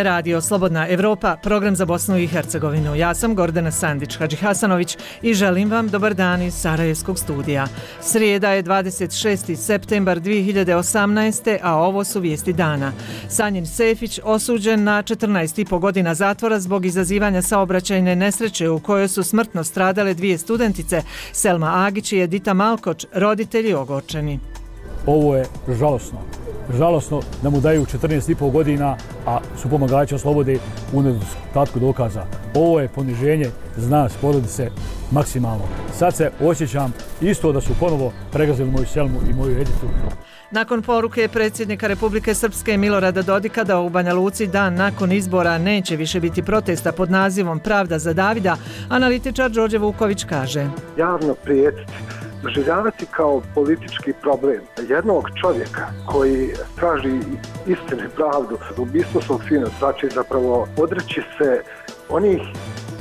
je Radio Slobodna Evropa, program za Bosnu i Hercegovinu. Ja sam Gordana Sandić-Hadžihasanović i želim vam dobar dan iz Sarajevskog studija. Srijeda je 26. septembar 2018. a ovo su vijesti dana. Sanjin Sefić osuđen na 14,5 godina zatvora zbog izazivanja saobraćajne nesreće u kojoj su smrtno stradale dvije studentice, Selma Agić i Edita Malkoč, roditelji ogorčeni. Ovo je žalosno da mu daju 14,5 godina, a su pomagači oslobode u nedostatku dokaza. Ovo je poniženje za nas, porodice, maksimalno. Sad se osjećam isto da su ponovo pregazili moju Selmu i moju Editu. Nakon poruke predsjednika Republike Srpske Milorada Dodika da u Banja Luci dan nakon izbora neće više biti protesta pod nazivom Pravda za Davida, analitičar Đorđe Vuković kaže: javno prijetiti, doživljavati kao politički problem jednog čovjeka koji traži istinu i pravdu, ubistvo svog sina, znači zapravo odreći se onih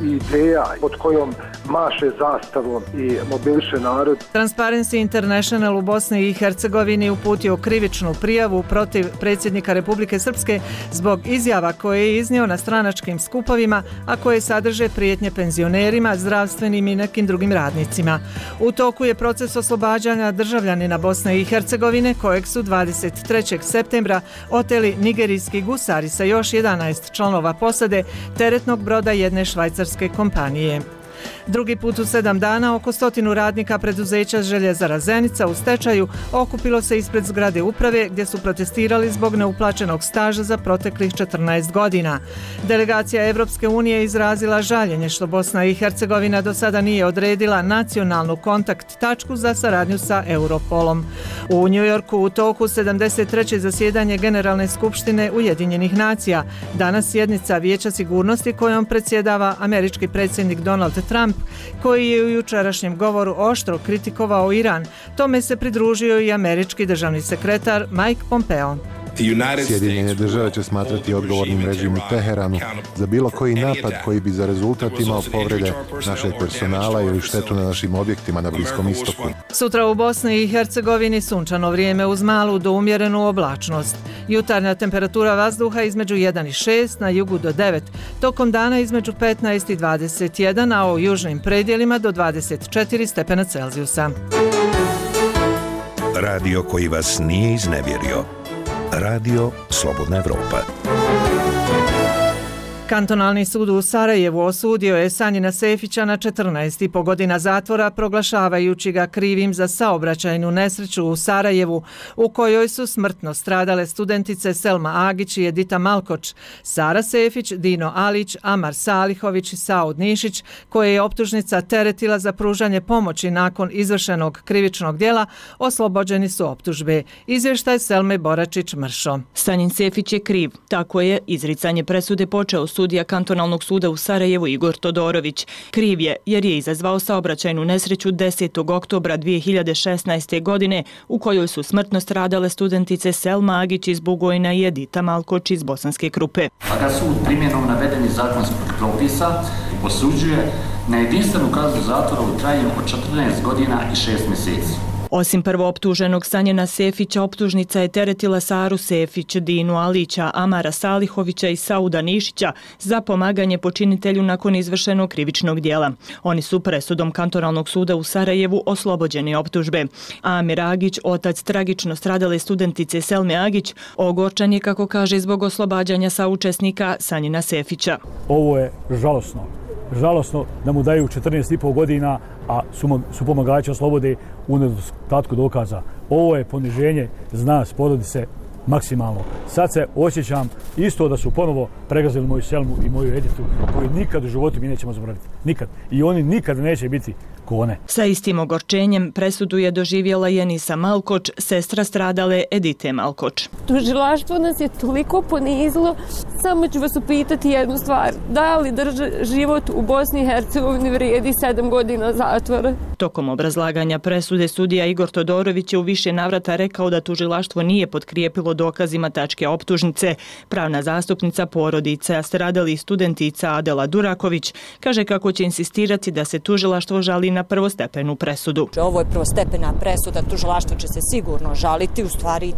ideja pod kojom maše zastavom i mobiliše narod. Transparency International u Bosni i Hercegovini uputio krivičnu prijavu protiv predsjednika Republike Srpske zbog izjava koje je iznio na stranačkim skupovima, a koje sadrže prijetnje penzionerima, zdravstvenim i nekim drugim radnicima. U toku je proces oslobađanja državljanina Bosne i Hercegovine kojeg su 23. septembra oteli nigerijski gusari sa još 11 članova posade teretnog broda jedne švajcarske kompanije. Drugi put u 7 dana oko 100 radnika preduzeća Željezara Zenica u stečaju okupilo se ispred zgrade uprave gdje su protestirali zbog neuplaćenog staža za proteklih 14 godina. Delegacija Evropske unije izrazila žaljenje što Bosna i Hercegovina do sada nije odredila nacionalnu kontakt tačku za saradnju sa Europolom. U Njujorku u toku 73. zasjedanje Generalne skupštine Ujedinjenih nacija. Danas sjednica Vijeća sigurnosti kojom predsjedava američki predsjednik Donald Trump, koji je u jučerašnjem govoru oštro kritikovao Iran. Tome se pridružio i američki državni sekretar Mike Pompeo. Sjedinjene države će smatrati odgovornim režim u Teheranu za bilo koji napad koji bi za rezultat imao povrede našeg personala ili štetu na našim objektima na Bliskom istoku. Sutra u Bosni i Hercegovini sunčano vrijeme uz malu do umjerenu oblačnost. Jutarnja temperatura vazduha između 1 i 6, na jugu do 9, tokom dana između 15 i 21, a u južnim predjelima do 24 stepena Celzijusa. Radio koji vas nije iznevjerio. Radio Slobodna Evropa. Kantonalni sud u Sarajevu osudio je Sanjina Sefića na 14,5 godina zatvora, proglašavajući ga krivim za saobraćajnu nesreću u Sarajevu, u kojoj su smrtno stradale studentice Selma Agić i Edita Malkoč, Sara Sefić, Dino Alić, Amar Salihović i Saud Nišić, koje je optužnica teretila za pružanje pomoći nakon izvršenog krivičnog djela, oslobođeni su optužbe. Izvještaj Selme Boračić-Mršo. Sanjin Sefić je kriv. Tako je izricanje presude počeo sudija kantonalnog suda u Sarajevu Igor Todorović. Kriv je jer je izazvao saobraćajnu nesreću 10. oktobra 2016. godine u kojoj su smrtno stradale studentice Selma Agić iz Bugojna i Edita Malkoč iz Bosanske Krupe. A da sud primjenom navedenih zakonskih propisa osuđuje na jedinstvenu kaznu zatvora u trajanju od 14 godina i 6 mjeseci. Osim prvooptuženog Sanjina Sefića, optužnica je teretila Saru Sefić, Dinu Alića, Amara Salihovića i Sauda Nišića za pomaganje počinitelju nakon izvršenog krivičnog djela. Oni su presudom kantonalnog suda u Sarajevu oslobođeni optužbe. Amir Agić, otac tragično stradale studentice Selme Agić, ogorčan je, kako kaže, zbog oslobađanja saučesnika Sanjina Sefića. Ovo je žalosno da mu daju 14,5 godina, a su pomagači oslobode u nedostatku dokaza. Ovo je poniženje za nas, porodice, maksimalno. Sad se osjećam isto da su ponovo pregazili moju Selmu i moju Editu, koju nikad u životu mi nećemo zaboraviti. Nikad. I oni nikad neće biti kone. Sa istim ogorčenjem presudu je doživjela i Enisa Malkoč, sestra stradale Edite Malkoč. Tužilaštvo nas je toliko ponizilo. Samo ću vas upitati jednu stvar. Da li život u Bosni i Hercegovini vrijedi 7 godina zatvora? Tokom obrazlaganja presude sudija Igor Todorović je u više navrata rekao da tužilaštvo nije potkrijepilo dokazima tačke optužnice. Pravna zastupnica porodice stradalih studentica Adela Duraković kaže kako će insistirati da se tužilaštvo žali na na prvostepenu presudu. Ovo je prvostepena presuda, tužilaštvo će se sigurno žaliti, u stvari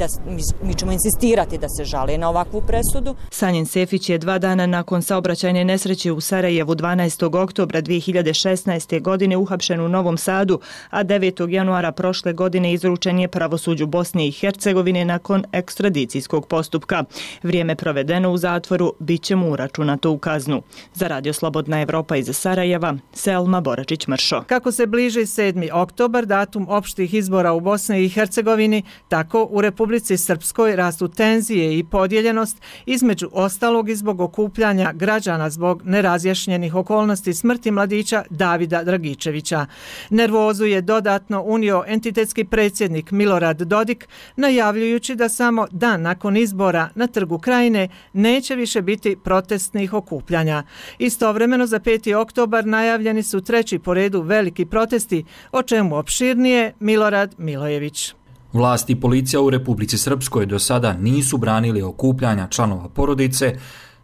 mi ćemo insistirati da se žali na ovakvu presudu. Sanjin Sefić je 2 dana nakon saobraćajne nesreće u Sarajevu 12. oktobra 2016. godine uhapšen u Novom Sadu, a 9. januara prošle godine izručen je pravosuđu Bosne i Hercegovine nakon ekstradicijskog postupka. Vrijeme provedeno u zatvoru bit će mu uračunato u kaznu. Za Radio Slobodna Evropa iz Sarajeva, Selma Boračić-Mršo. Kako se bliži 7. oktobar, datum opštih izbora u Bosni i Hercegovini, tako u Republici Srpskoj rastu tenzije i podijeljenost, između ostalog i zbog okupljanja građana zbog nerazjašnjenih okolnosti smrti mladića Davida Dragičevića. Nervozu je dodatno unio entitetski predsjednik Milorad Dodik, najavljujući da samo dan nakon izbora na Trgu Krajine neće više biti protestnih okupljanja. Istovremeno za 5. oktobar najavljeni su 3. po redu veliki protesti, o čemu opširnije Milorad Milojević. Vlast i policija u Republici Srpskoj do sada nisu branili okupljanja članova porodice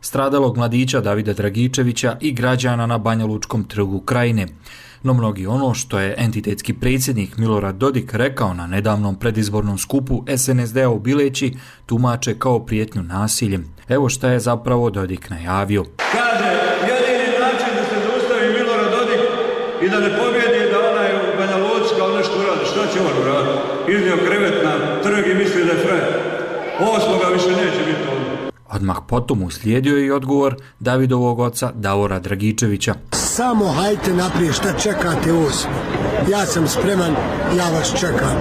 stradalog mladića Davida Dragičevića i građana na Banjalučkom trgu Krajine. No mnogi ono što je entitetski predsjednik Milorad Dodik rekao na nedavnom predizbornom skupu SNSD-a u Bileći tumače kao prijetnju nasiljem. Evo šta je zapravo Dodik najavio. Kaže, jedini način da se zaustavi Milorad Dodik i da ne pobjedi da onaj u Banja Luci kao nešto uradi. Šta će on uraditi? Iznio krevet na trg i misli da je frajer. 8. više neće biti ovdje. Odmah potom uslijedio i odgovor Davidovog oca Davora Dragičevića. Samo hajte naprijed, šta čekate 8. Ja sam spreman, ja vas čekam,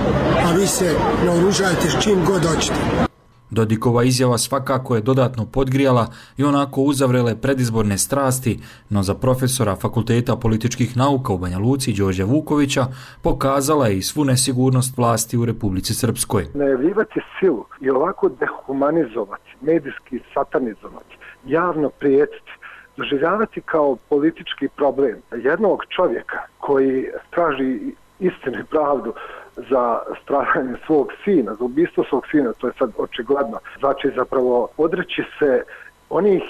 a vi se naoružajte s čim god hoćete. Dodikova izjava svakako je dodatno podgrijala i onako uzavrele predizborne strasti, no za profesora Fakulteta političkih nauka u Banja Luci Đorđa Vukovića pokazala je i svu nesigurnost vlasti u Republici Srpskoj. Najavljivati silu i ovako dehumanizovati, medijski satanizovati, javno prijetiti, doživljavati kao politički problem jednog čovjeka koji traži istinu i pravdu za stradanje svog sina, za ubistvo svog sina, to je sad očigledno. Znači zapravo odreći se onih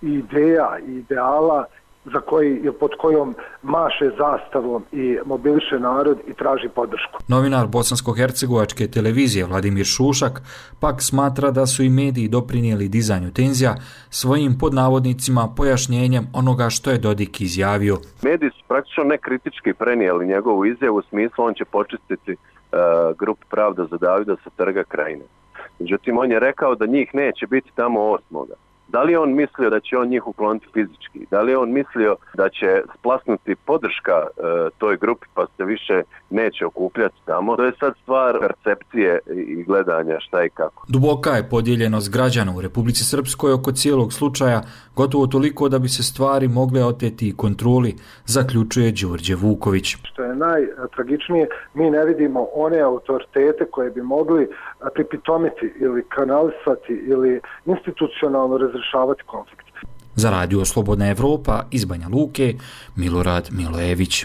ideja i ideala za koji je pod kojom maše zastavom i mobiliše narod i traži podršku. Novinar bosansko-hercegovačke televizije Vladimir Šušak pak smatra da su i mediji doprinijeli dizanju tenzija svojim podnavodnicima pojašnjenjem onoga što je Dodik izjavio. Mediji su praktično nekritički prenijeli njegovu izjavu u smislu on će počistiti grupu Pravda za Davida sa Trga Krajine. Međutim, on je rekao da njih neće biti tamo 8. Da li je on mislio da će on njih ukloniti fizički? Da li je on mislio da će splasnuti podrška toj grupi pa se više neće okupljati tamo? To je sad stvar percepcije i gledanja šta i kako. Duboka je podijeljenost građana u Republici Srpskoj oko cijelog slučaja, gotovo toliko da bi se stvari mogle oteti i kontroli, zaključuje Đorđe Vuković. Što je najtragičnije, mi ne vidimo one autoritete koje bi mogli pripitomiti ili kanalisati ili institucionalno razrešavati konflikt. Za Radio Slobodna Evropa iz Banja Luke, Milorad Milojević.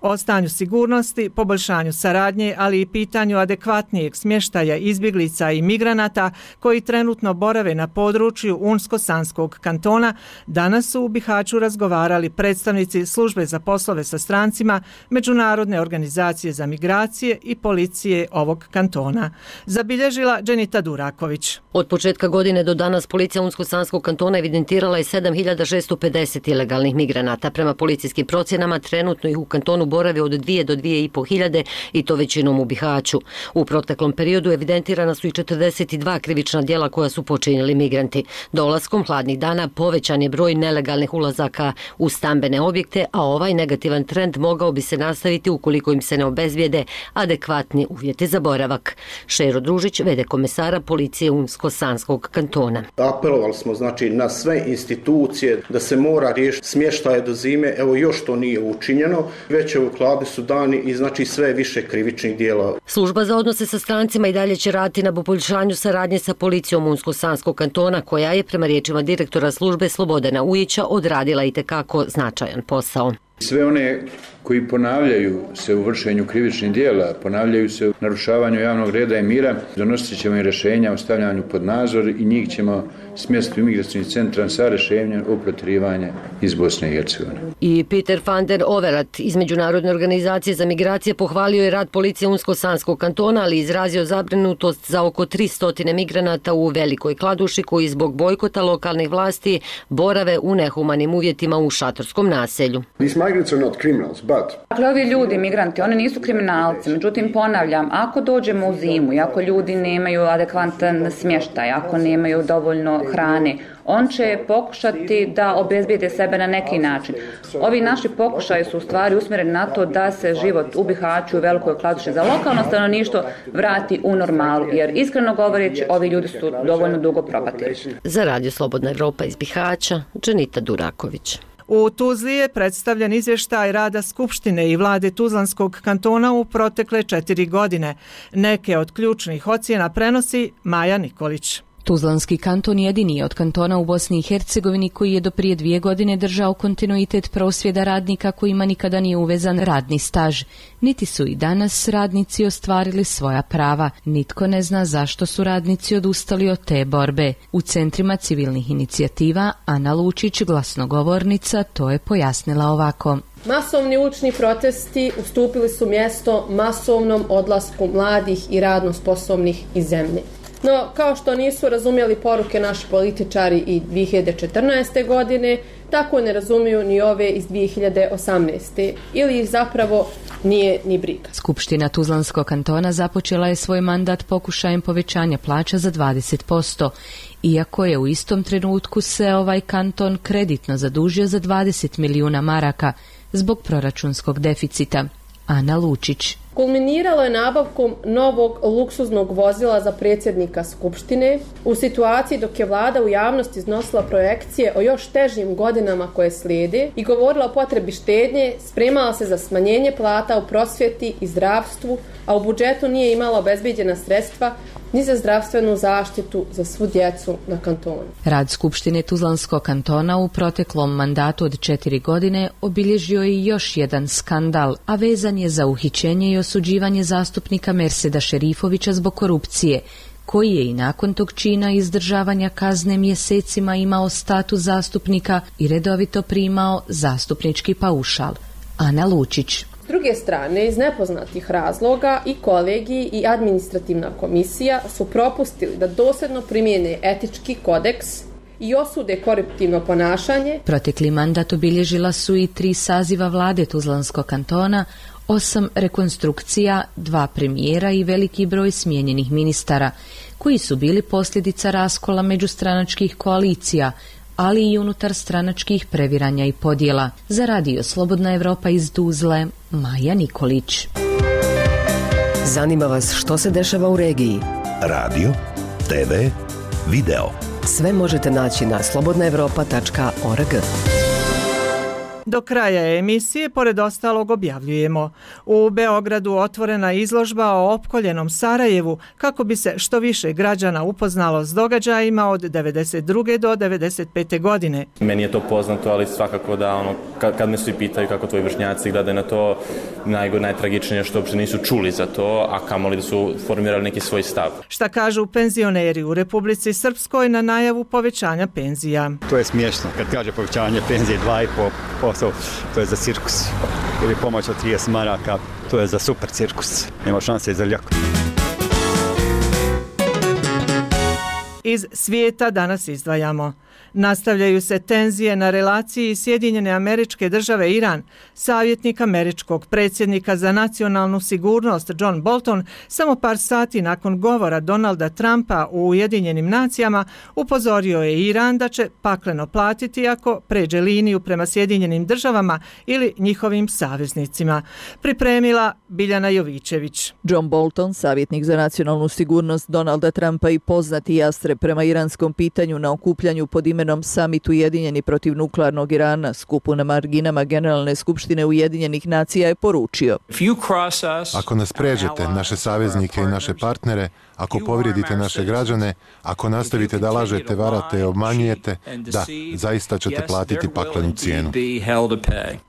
O stanju sigurnosti, poboljšanju saradnje, ali i pitanju adekvatnijeg smještaja izbjeglica i migranata koji trenutno borave na području Unsko-Sanskog kantona, danas su u Bihaću razgovarali predstavnici Službe za poslove sa strancima, Međunarodne organizacije za migracije i policije ovog kantona. Zabilježila Dženita Duraković. Od početka godine do danas policija Unsko-Sanskog kantona evidentirala je 7650 ilegalnih migranata. Prema policijskim procjenama trenutno ih u kantonu borave od 2 do 2,5 hiljade i to većinom u Bihaću. U proteklom periodu evidentirana su i 42 krivična djela koja su počinili migranti. Dolaskom hladnih dana povećan je broj nelegalnih ulazaka u stambene objekte, a ovaj negativan trend mogao bi se nastaviti ukoliko im se ne obezbijede adekvatni uvjeti za boravak. Šero Družić, v.d. komesara policije Unsko-Sanskog kantona. Apelovali smo znači na sve institucije da se mora riješiti smještaje do zime, evo još to nije učinjeno, već hladni su dani i znači sve više krivičnih djela. Služba za odnose sa strancima i dalje će raditi na poboljšanju saradnje sa policijom Unsko-Sanskog kantona, koja je prema riječima direktora službe Slobodana Ujića odradila itekako značajan posao. Sve one koji ponavljaju se u vršenju krivičnih dijela, ponavljaju se u narušavanju javnog reda i mira, donosit ćemo i rješenja o stavljanju pod nadzor i njih ćemo smjestiti u imigracijni centar sa rješenjem o protjerivanja iz Bosne i Hercegovine. I Peter van der Overat iz Međunarodne organizacije za migracije pohvalio je rad policije Unsko-Sanskog kantona, ali izrazio zabrinutost za oko 300 migranata u Velikoj Kladuši koji zbog bojkota lokalnih vlasti borave u nehumanim uvjetima u šatorskom naselju. Dakle, ovi ljudi, migranti, oni nisu kriminalci, međutim ponavljam, ako dođemo u zimu i ako ljudi nemaju adekvatan smještaj, ako nemaju dovoljno hrane, on će pokušati da obezbijede sebe na neki način. Ovi naši pokušaji su u stvari usmjereni na to da se život u Bihaću i Velikoj Kladuši za lokalno stanovništvo vrati u normalu, jer iskreno govoreći ovi ljudi su dovoljno dugo propatili. Za Radio Slobodna Evropa iz Bihaća, Dženita Duraković. U Tuzli je predstavljen izvještaj rada Skupštine i vlade Tuzlanskog kantona u protekle 4 godine. Neke od ključnih ocjena prenosi Maja Nikolić. Tuzlanski kanton jedini je od kantona u Bosni i Hercegovini koji je do prije 2 godine držao kontinuitet prosvjeda radnika kojima nikada nije uvezan radni staž. Niti su i danas radnici ostvarili svoja prava. Nitko ne zna zašto su radnici odustali od te borbe. U centrima civilnih inicijativa Ana Lučić, glasnogovornica, to je pojasnila ovako. Masovni ulični protesti ustupili su mjesto masovnom odlasku mladih i radno sposobnih iz zemlje. No, kao što nisu razumjeli poruke naši političari i 2014. godine, tako ne razumiju ni ove iz 2018. ili ih zapravo nije ni briga. Skupština Tuzlanskog kantona započela je svoj mandat pokušajem povećanja plaća za 20%, iako je u istom trenutku se ovaj kanton kreditno zadužio za 20 milijuna maraka zbog proračunskog deficita. Ana Lučić. Kulminiralo je nabavkom novog luksuznog vozila za predsjednika Skupštine u situaciji dok je vlada u javnosti iznosila projekcije o još težim godinama koje slijede i govorila o potrebi štednje, spremala se za smanjenje plata u prosvjeti i zdravstvu, a u budžetu nije imala obezbeđena sredstva ni za zdravstvenu zaštitu za svu djecu na kantonu. Rad Skupštine Tuzlanskog kantona u proteklom mandatu od 4 godine obilježio je još jedan skandal, a vezan je za uhićenje i osuđivanje zastupnika Merseda Šerifovića zbog korupcije, koji je i nakon tog čina izdržavanja kazne mjesecima imao status zastupnika i redovito primao zastupnički paušal. Ana Lučić. S druge strane, iz nepoznatih razloga i kolegiji i administrativna komisija su propustili da dosljedno primijene etički kodeks i osude koruptivno ponašanje. Protekli mandat obilježila su i 3 saziva vlade Tuzlanskog kantona, 8 rekonstrukcija, 2 premijera i veliki broj smijenjenih ministara, koji su bili posljedica raskola međustranačkih koalicija, ali i unutar stranačkih previranja i podjela. Za Radio Slobodna Evropa iz Tuzle, Maja Nikolić. Zanima vas što se dešava u regiji? Radio, TV, video. Sve možete naći na slobodnaevropa.org. Do kraja emisije, pored ostalog, objavljujemo. U Beogradu otvorena izložba o opkoljenom Sarajevu kako bi se što više građana upoznalo s događajima od 92. do 95. godine. Meni je to poznato, ali svakako da kad me svi pitaju kako tvoji vršnjaci gledaju na to, najtragičnije što uopšte nisu čuli za to, a kamoli da su formirali neki svoj stav. Šta kažu penzioneri u Republici Srpskoj na najavu povećanja penzija? To je smiješno. Kad kaže povećanje penzije 2,5%, to je za cirkus. Ili pomoć od 30 maraka, to je za super cirkus. Nema šanse za ljako. Iz svijeta danas izdvajamo. Nastavljaju se tenzije na relaciji Sjedinjene Američke Države Iran. Savjetnik američkog predsjednika za nacionalnu sigurnost John Bolton samo par sati nakon govora Donalda Trumpa u Ujedinjenim nacijama upozorio je Iran da će pakleno platiti ako pređe liniju prema Sjedinjenim državama ili njihovim saveznicima. Pripremila Biljana Jovićević. John Bolton, savjetnik za nacionalnu sigurnost Donalda Trumpa i poznati jastreb prema iranskom pitanju na okupljanju pod pod imenom Summit Ujedinjeni protiv nuklearnog Irana, skupu na marginama Generalne skupštine Ujedinjenih nacija, je poručio: Ako nas pređete, naše saveznike i naše partnere, ako povrijedite naše građane, ako nastavite da lažete, varate i obmanjujete, da, zaista ćete platiti paklenu cijenu.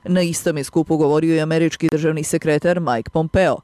Na istom je skupu govorio i američki državni sekretar Mike Pompeo.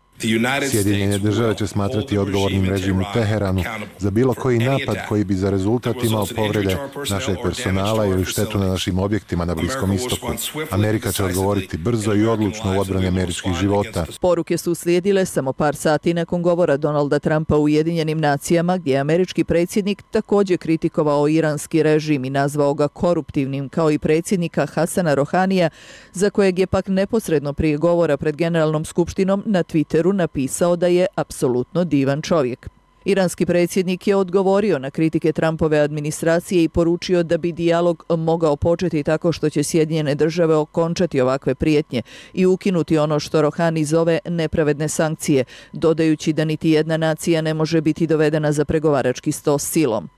Sjedinjene države će smatrati odgovornim režim u Teheranu za bilo koji napad koji bi za rezultat imao povrede našeg personala ili štetu na našim objektima na Bliskom istoku. Amerika će odgovoriti brzo i odlučno u odbrani američkih života. Poruke su uslijedile samo par sati nakon govora Donalda Trumpa u Ujedinjenim nacijama, gdje je američki predsjednik također kritikovao iranski režim i nazvao ga koruptivnim, kao i predsjednika Hasana Rohanija, za kojeg je pak neposredno prije govora pred Generalnom skupštinom na Twitteru napisao da je apsolutno divan čovjek. Iranski predsjednik je odgovorio na kritike Trumpove administracije i poručio da bi dijalog mogao početi tako što će Sjedinjene države okončati ovakve prijetnje i ukinuti ono što Rohani zove nepravedne sankcije, dodajući da niti jedna nacija ne može biti dovedena za pregovarački sto silom.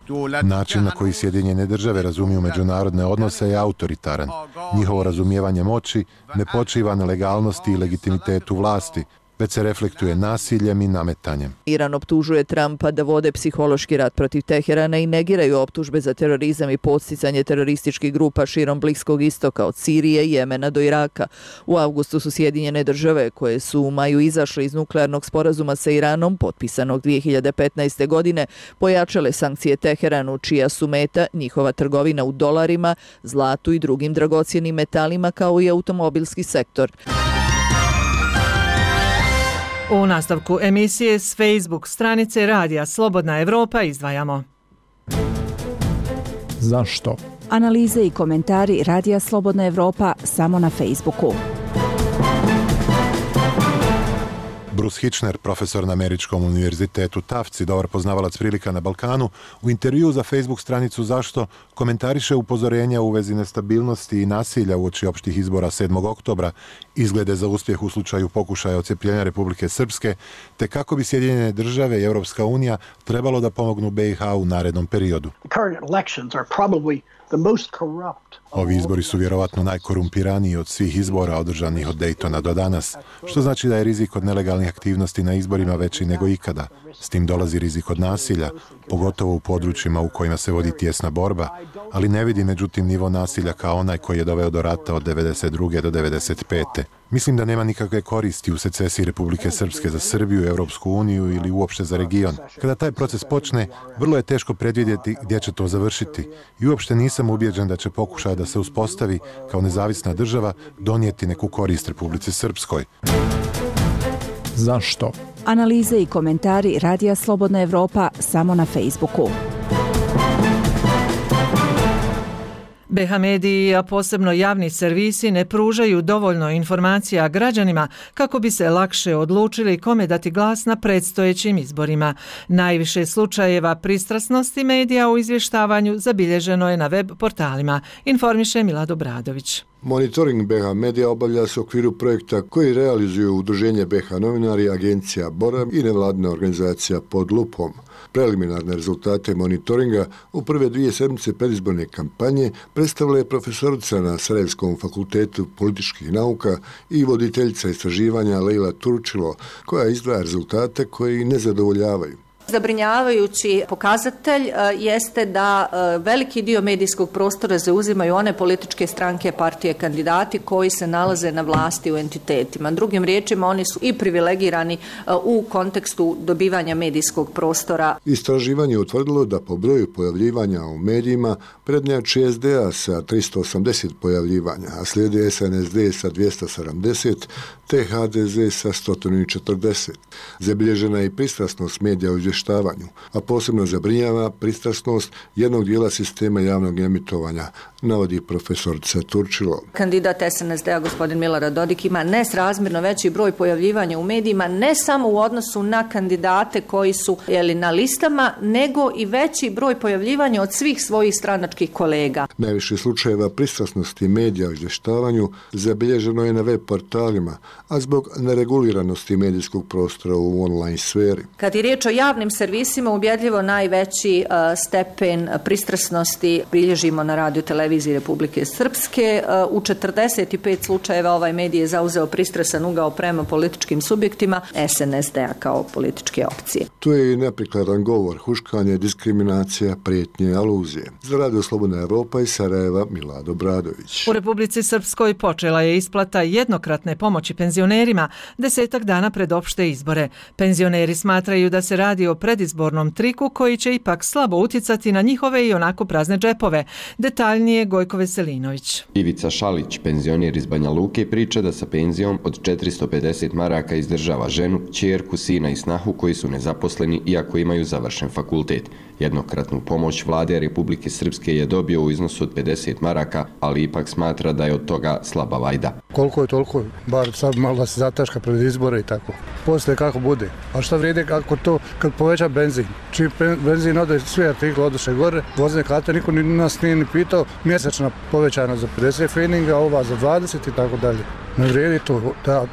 Način na koji Sjedinjene države razumiju međunarodne odnose je autoritaran. Njihovo razumijevanje moći ne počiva na legalnosti i legitimitetu vlasti, već se reflektuje nasiljem i nametanjem. Iran optužuje Trumpa da vode psihološki rat protiv Teherana i negiraju optužbe za terorizam i podsticanje terorističkih grupa širom Bliskog istoka, od Sirije i Jemena do Iraka. U avgustu su Sjedinjene države, koje su u maju izašle iz nuklearnog sporazuma sa Iranom, potpisanog 2015. godine, pojačale sankcije Teheranu, čija su meta njihova trgovina u dolarima, zlatu i drugim dragocjenim metalima, kao i automobilski sektor. U nastavku emisije s Facebook stranice Radija Slobodna Evropa izdvajamo. Zašto? Analize i komentari Radija Slobodna Evropa samo na Facebooku. Bruce Hitchner, profesor na Američkom univerzitetu Tufts i dobar poznavalac prilika na Balkanu, u intervju za Facebook stranicu Zašto komentariše upozorenja u vezi nestabilnosti i nasilja uoči opštih izbora 7. oktobra, izglede za uspjeh u slučaju pokušaja odcepljenja Republike Srpske, te kako bi Sjedinjene države i Europska unija trebalo da pomognu BiH u narednom periodu. Ovi izbori su vjerovatno najkorumpiraniji od svih izbora održanih od Daytona do danas, što znači da je rizik od nelegalnih aktivnosti na izborima veći nego ikada. S tim dolazi rizik od nasilja, pogotovo u područjima u kojima se vodi tijesna borba, ali ne vidi međutim nivo nasilja kao onaj koji je doveo do rata od 92. do 95. Mislim da nema nikakve koristi u secesiji Republike Srpske za Srbiju, Europsku uniju ili uopšte za region. Kada taj proces počne, vrlo je teško predvidjeti gdje će to završiti i uopšte nisam ubijeđen da će pokušaj da se uspostavi kao nezavisna država donijeti neku korist Republici Srpskoj. Zašto? Analize i komentari Radija Slobodna Evropa samo na Facebooku. BiH mediji, a posebno javni servisi, ne pružaju dovoljno informacija građanima kako bi se lakše odlučili kome dati glas na predstojećim izborima. Najviše slučajeva pristrasnosti medija u izvještavanju zabilježeno je na web portalima, informiše Milad Obradović. Monitoring BiH medija obavlja se u okviru projekta koji realizuju Udruženje BiH novinari, agencija Bora i nevladina organizacija Pod lupom. Preliminarne rezultate monitoringa u prve 2 sedmice predizborne kampanje predstavila je profesorica na Sarajevskom fakultetu političkih nauka i voditeljica istraživanja Leila Turčilo, koja izdvaja rezultate koji ne zadovoljavaju. Zabrinjavajući pokazatelj jeste da veliki dio medijskog prostora zauzimaju one političke stranke, partije, kandidati koji se nalaze na vlasti u entitetima. Drugim riječima, oni su i privilegirani u kontekstu dobivanja medijskog prostora. Istraživanje je utvrdilo da po broju pojavljivanja u medijima prednjači SDA sa 380 pojavljivanja, a slijede SNSD sa 270 te HDZ sa 140. Zabilježena je i pristrasnost medija u izvještavanju, a posebno zabrinjava pristrasnost jednog dijela sistema javnog emitovanja, navodi profesorica Turčilo. Kandidat SNSD-a, gospodin Milorad Dodik, ima nesrazmjerno veći broj pojavljivanja u medijima, ne samo u odnosu na kandidate koji su na listama, nego i veći broj pojavljivanja od svih svojih stranačkih kolega. Najviše slučajeva pristrasnosti medija u izvještavanju zabilježeno je na web portalima, a zbog nereguliranosti medijskog prostora u online sferi. Kad je riječ o javnim servisima ubjedljivo najveći stepen pristrasnosti bilježimo na Radio televiziji Republike Srpske. U 45 slučajeva ovaj medij je zauzeo pristrasan ugao prema političkim subjektima SNSD-a kao političke opcije. Tu je i neprikladan govor, huškanje, diskriminacija, prijetnje, aluzije. Za Radio Slobodna Evropa iz Sarajeva Milado Bradović. U Republici Srpskoj počela je isplata jednokratne pomoći penzionerima 10 dana pred opšte izbore. Penzioneri smatraju da se radi o predizbornom triku koji će ipak slabo uticati na njihove i onako prazne džepove. Detaljnije Gojko Veselinović. Ivica Šalić, penzioner iz Banja Luke, priča da sa penzijom od 450 maraka izdržava ženu, ćerku, sina i snahu koji su nezaposleni iako imaju završen fakultet. Jednokratnu pomoć vlade Republike Srpske je dobio u iznosu od 50 maraka, ali ipak smatra da je od toga slaba vajda. Koliko je toliko, bar sad malo da se zataška pred izbore i tako. Poslije kako bude. A šta vrijedi kako to kad poveća benzin? Čim benzin ode, svi artikli oduše gore, vozne karte, niko nas nije ni pitao, mjesečna povećana za 50 feninga, ova za 20 i tako dalje. Ne vrijedi to da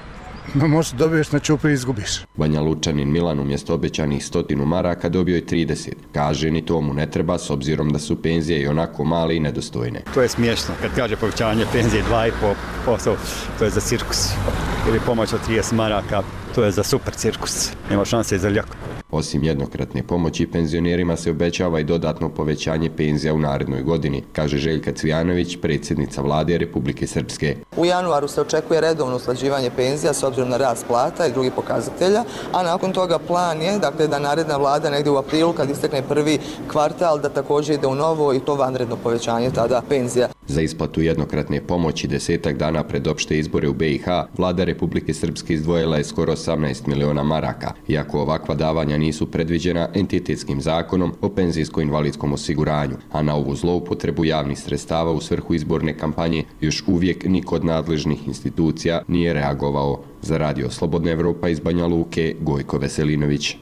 možda dobiješ na čupi i izgubiš. Banja Lučanin Milan umjesto obećanih 100 maraka dobio je 30. Kaže ni to mu ne treba s obzirom da su penzije i onako male i nedostojne. To je smiješno. Kad kaže povećanje penzije 2,5%, to je za cirkus. Ili pomoć od 30 maraka, to je za super cirkus. Nema šanse za ljako. Osim jednokratne pomoći, penzionerima se obećava i dodatno povećanje penzija u narednoj godini, kaže Željka Cvijanović, predsjednica vlade Republike Srpske. U januaru se očekuje redovno usklađivanje penzija s obzirom na rast plata i drugih pokazatelja, a nakon toga plan je da naredna vlada negdje u aprilu, kad istekne prvi kvartal, da također ide u novo i to vanredno povećanje tada penzija. Za isplatu jednokratne pomoći 10 dana pred opšte izbore u BiH, vlada Republike Srpske izdvojila je skoro 18 miliona maraka. Iako ovakva davanja nisu predviđena entitetskim zakonom o penzijsko-invalidskom osiguranju, a na ovu zloupotrebu javnih sredstava u svrhu izborne kampanje još uvijek niko od nadležnih institucija nije reagovao. Za Radio Slobodna Evropa iz Banja Luke, Gojko Veselinović.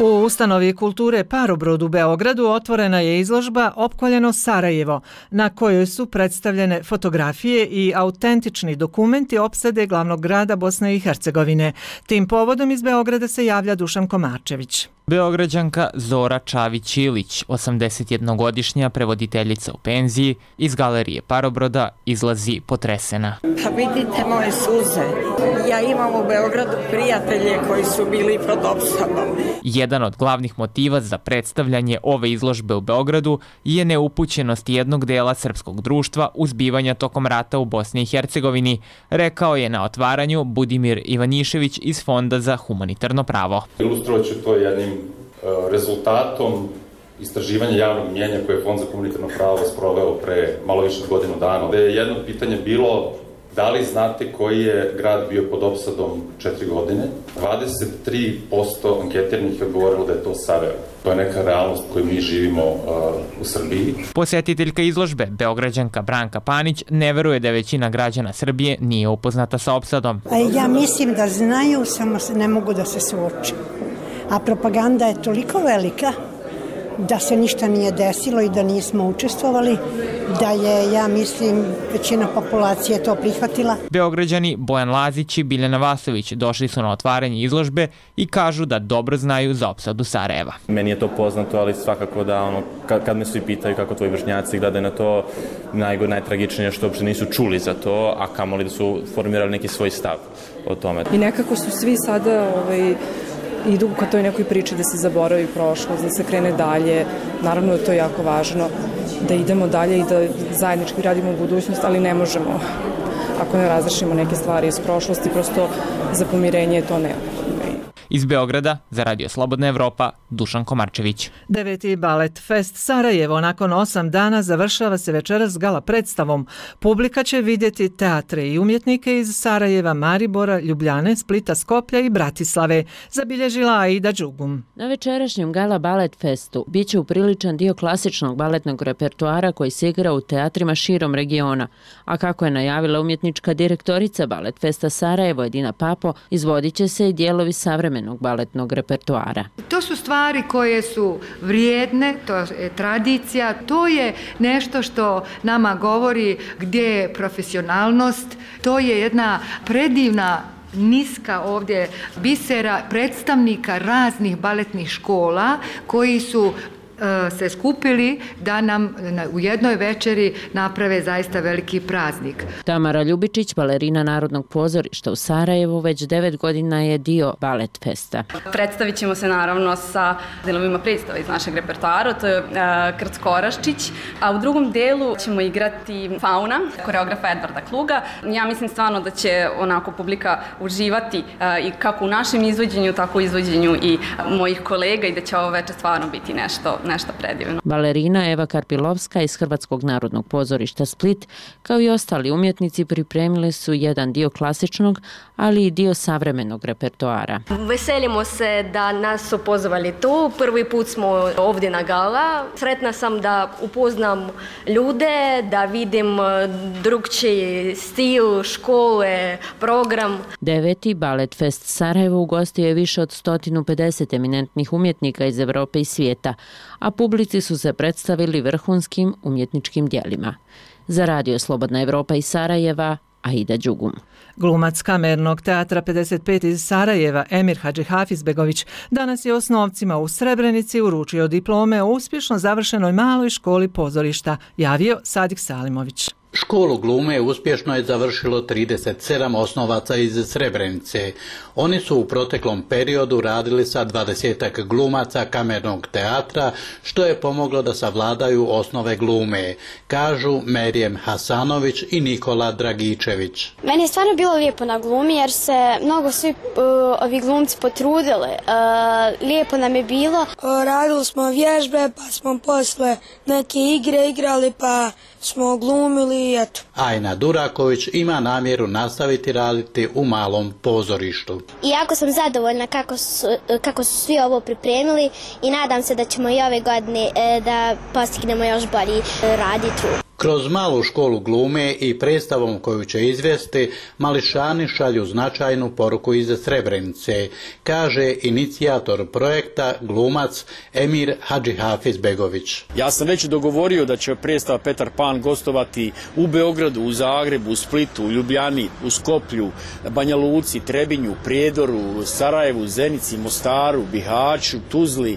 U ustanovi kulture Parobrod u Beogradu otvorena je izložba Opkoljeno Sarajevo, na kojoj su predstavljene fotografije i autentični dokumenti opsade glavnog grada Bosne i Hercegovine. Tim povodom iz Beograda se javlja Dušan Komarčević. Beograđanka Zora Čavić-Ilić, 81-godišnja prevoditeljica u penziji, iz galerije Parobroda izlazi potresena. Pa vidite moje suze. Ja imam u Beogradu prijatelje koji su bili pod opsadom. Jedan od glavnih motiva za predstavljanje ove izložbe u Beogradu je neupućenost jednog dela srpskog društva u zbivanja tokom rata u Bosni i Hercegovini, rekao je na otvaranju Budimir Ivanišević iz Fonda za humanitarno pravo. Ilustrovat ću to jednim rezultatom istraživanja javnog mnjenja koje je Fond za humanitarno pravo sproveo pre malo više od godinu dana. Da je jedno pitanje bilo da li znate koji je grad bio pod opsadom 4 godine? 23% anketiranih je odgovorilo da je to Sarajevo. To je neka realnost koju mi živimo u Srbiji. Posjetiteljka izložbe, Beograđanka Branka Panić, ne veruje da većina građana Srbije nije upoznata sa opsadom. Ja mislim da znaju, samo ne mogu da se suoče. A propaganda je toliko velika da se ništa nije desilo i da nismo učestvovali, da je, ja mislim, većina populacije to prihvatila. Beograđani Bojan Lazić i Biljana Vasović došli su na otvaranje izložbe i kažu da dobro znaju za opsadu Sarajeva. Meni je to poznato, ali svakako da kad me svi pitaju kako tvoji vršnjaci gledaju na to, najtragičnije što uopšte nisu čuli za to, a kamoli da su formirali neki svoj stav o tome. I nekako su svi sada idu ka toj nekoj priči da se zaboravi prošlost, da se krene dalje. Naravno da to je jako važno, da idemo dalje i da zajednički radimo u budućnost, ali ne možemo ako ne razrešimo neke stvari iz prošlosti, prosto za pomirenje je to neophodno. Iz Beograda, za Radio Slobodna Evropa, Dušan Komarčević. 9. Balet Fest Sarajevo nakon 8 dana završava se večeras gala predstavom. Publika će vidjeti teatre i umjetnike iz Sarajeva, Maribora, Ljubljane, Splita, Skoplja i Bratislave, zabilježila Aida Đugum. Na večerašnjem gala Balet Festu biće upriličan dio klasičnog baletnog repertoara koji se igra u teatrima širom regiona, a kako je najavila umjetnička direktorica Balet Festa Sarajevo Edina Papo, izvodit će se i dijelovi savremenog baletnog repertoara. To su stvari koje su vrijedne, to je tradicija, to je nešto što nama govori gdje je profesionalnost, to je jedna predivna niska ovdje bisera predstavnika raznih baletnih škola koji su se skupili da nam u jednoj večeri naprave zaista veliki praznik. Tamara Ljubičić, balerina Narodnog pozorišta u Sarajevu, već 9 godina je dio Balet Festa. Predstavit ćemo se naravno sa delovima predstava iz našeg repertoara, to je Krckoraščić, a u drugom delu ćemo igrati Fauna, koreografa Edvarda Kluga. Ja mislim stvarno da će onako publika uživati i kako u našem izvođenju, tako u izvođenju i mojih kolega i da će ovo večer stvarno biti nešto predivno. Balerina Eva Karpilovska iz Hrvatskog narodnog pozorišta Split, kao i ostali umjetnici, pripremili su jedan dio klasičnog, ali i dio savremenog repertoara. Veselimo se da nas su pozvali tu. Prvi put smo ovdje na gala. Sretna sam da upoznam ljude, da vidim drugčiji stil, škole, program. 9. Balet Fest Sarajevo ugostio je više od 150 eminentnih umjetnika iz Europe i svijeta, a publici su se predstavili vrhunskim umjetničkim djelima. Za Radio Slobodna Evropa iz Sarajeva, Aida Đugum. Glumac Kamernog teatra 55 iz Sarajeva, Emir Hadžihafizbegović, danas je osnovcima u Srebrenici uručio diplome o uspješno završenoj maloj školi pozorišta, javio Sadik Salimović. Školu glume uspješno je završilo 37 osnovaca iz Srebrenice. Oni su u proteklom periodu radili sa 20-ak glumaca Kamernog teatra, što je pomoglo da savladaju osnove glume, kažu Merijem Hasanović i Nikola Dragičević. Meni je stvarno bilo lijepo na glumi jer se mnogo svi ovi glumci potrudili. Lijepo nam je bilo. Radili smo vježbe, pa smo posle neke igre igrali, pa smo glumili. Ajna Duraković ima namjeru nastaviti raditi u malom pozorištu. I jako sam zadovoljna kako su svi ovo pripremili i nadam se da ćemo i ove godine da postignemo još bolji raditi. Kroz malu školu glume i predstavom koju će izvesti, mališani šalju značajnu poruku iz Srebrenice, kaže inicijator projekta glumac Emir Hadžihafizbegović. Ja sam već dogovorio da će predstava Petar Pan gostovati u Beogradu, u Zagrebu, u Splitu, u Ljubljani, u Skoplju, Banja Luci, Trebinju, Prijedoru, Sarajevu, Zenici, Mostaru, Bihaću, Tuzli.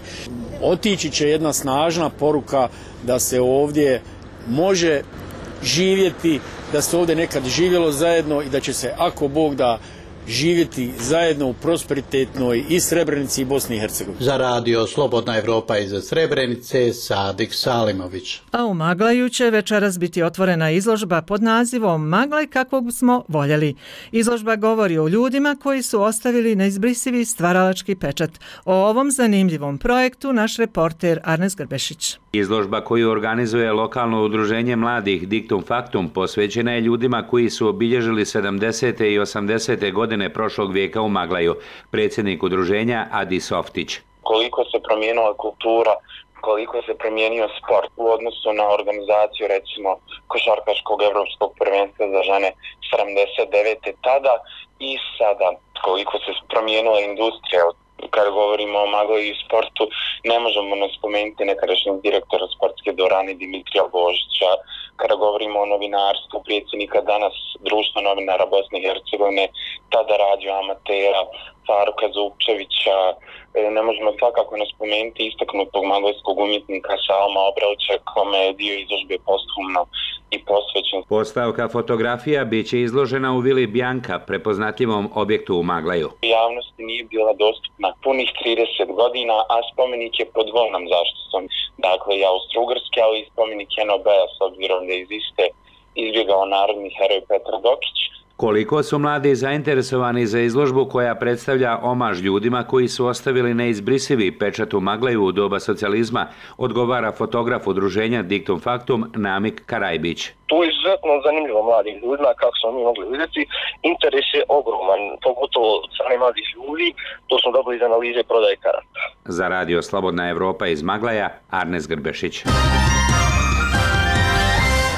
Otići će jedna snažna poruka da se ovdje može živjeti, da se ovdje nekad živjelo zajedno i da će se, ako Bog da, živjeti zajedno u prosperitetnoj i Srebrenici i Bosni i Hercegovini. Za Radio Slobodna Evropa iz Srebrenice, Sadik Salimović. A u Maglaju će večeras biti otvorena izložba pod nazivom Maglaj kakvog smo voljeli. Izložba govori o ljudima koji su ostavili neizbrisivi stvaralački pečat. O ovom zanimljivom projektu naš reporter Arnes Grbešić. Izložba koju organizuje lokalno udruženje mladih Dictum Factum posvećena je ljudima koji su obilježili 70. i 80. godine prošlog vijeka u Maglaju. Predsjednik udruženja Adi Softić. Koliko se promijenila kultura, koliko se promijenio sport u odnosu na organizaciju recimo košarkaškog evropskog prvenstva za žene 79. tada i sada, koliko se promijenila industrija. Kada govorimo o Maglaju i sportu, ne možemo ne spomenuti nekadašnjeg direktora sportske dvorane Dimitrija Božića. Kada govorimo o novinarstvu, predsjednika danas Društva novinara Bosne i Hercegovine, tada radio amatera, Faruka Zupčevića, ne možemo svakako ne spomenuti istaknutog maglajskog umjetnika Salma Obrelića, kome je dio izložbe posthumno i posvećen. Postavka fotografija bit će izložena u Vili Bjanka, prepoznatljivom objektu u Maglaju. Javnosti nije bila dostupna punih 30 godina, a spomenik je pod dvojnom zaštitom. Dakle, i austro-ugarski, ali i spomenik NOB-a, s obzirom da iz iste izbjegao narodni heroj Petar Dokić. Koliko su mladi zainteresovani za izložbu koja predstavlja omaž ljudima koji su ostavili neizbrisivi pečat u Maglaju u doba socijalizma, odgovara fotograf udruženja Dictum Factum Namik Karajbić. Tu je izuzetno zanimljivo mladim ljudima, kako smo mi mogli vidjeti. Interes je ogroman, pogotovo od strane mladih ljudi, to smo dobili iz analize prodaje karata. Za Radio Slobodna Evropa iz Maglaja, Arnes Grbešić.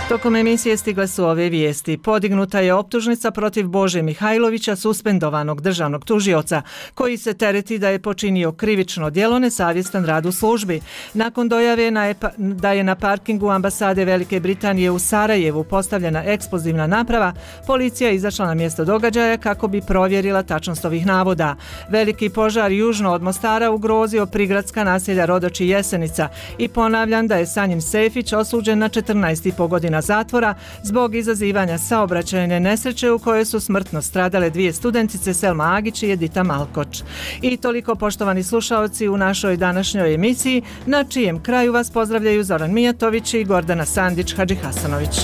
Tokom emisije stigle su ove vijesti. Podignuta je optužnica protiv Bože Mihajlovića, suspendovanog državnog tužioca, koji se tereti da je počinio krivično djelo nesavjestan rad u službi. Nakon dojave da je na parkingu ambasade Velike Britanije u Sarajevu postavljena eksplozivna naprava, policija je izašla na mjesto događaja kako bi provjerila tačnost ovih navoda. Veliki požar južno od Mostara ugrozio prigradska naselja Rodoč i Jesenica i ponavljam da je Sanjin Sefić osuđen na 14,5 godina zatvora zbog izazivanja saobraćajne nesreće u kojoj su smrtno stradale 2 studentice Selma Agić i Edita Malkoč. I toliko, poštovani slušaoci, u našoj današnjoj emisiji, na čijem kraju vas pozdravljaju Zoran Mijatović i Gordana Sandić Hadžihasanović.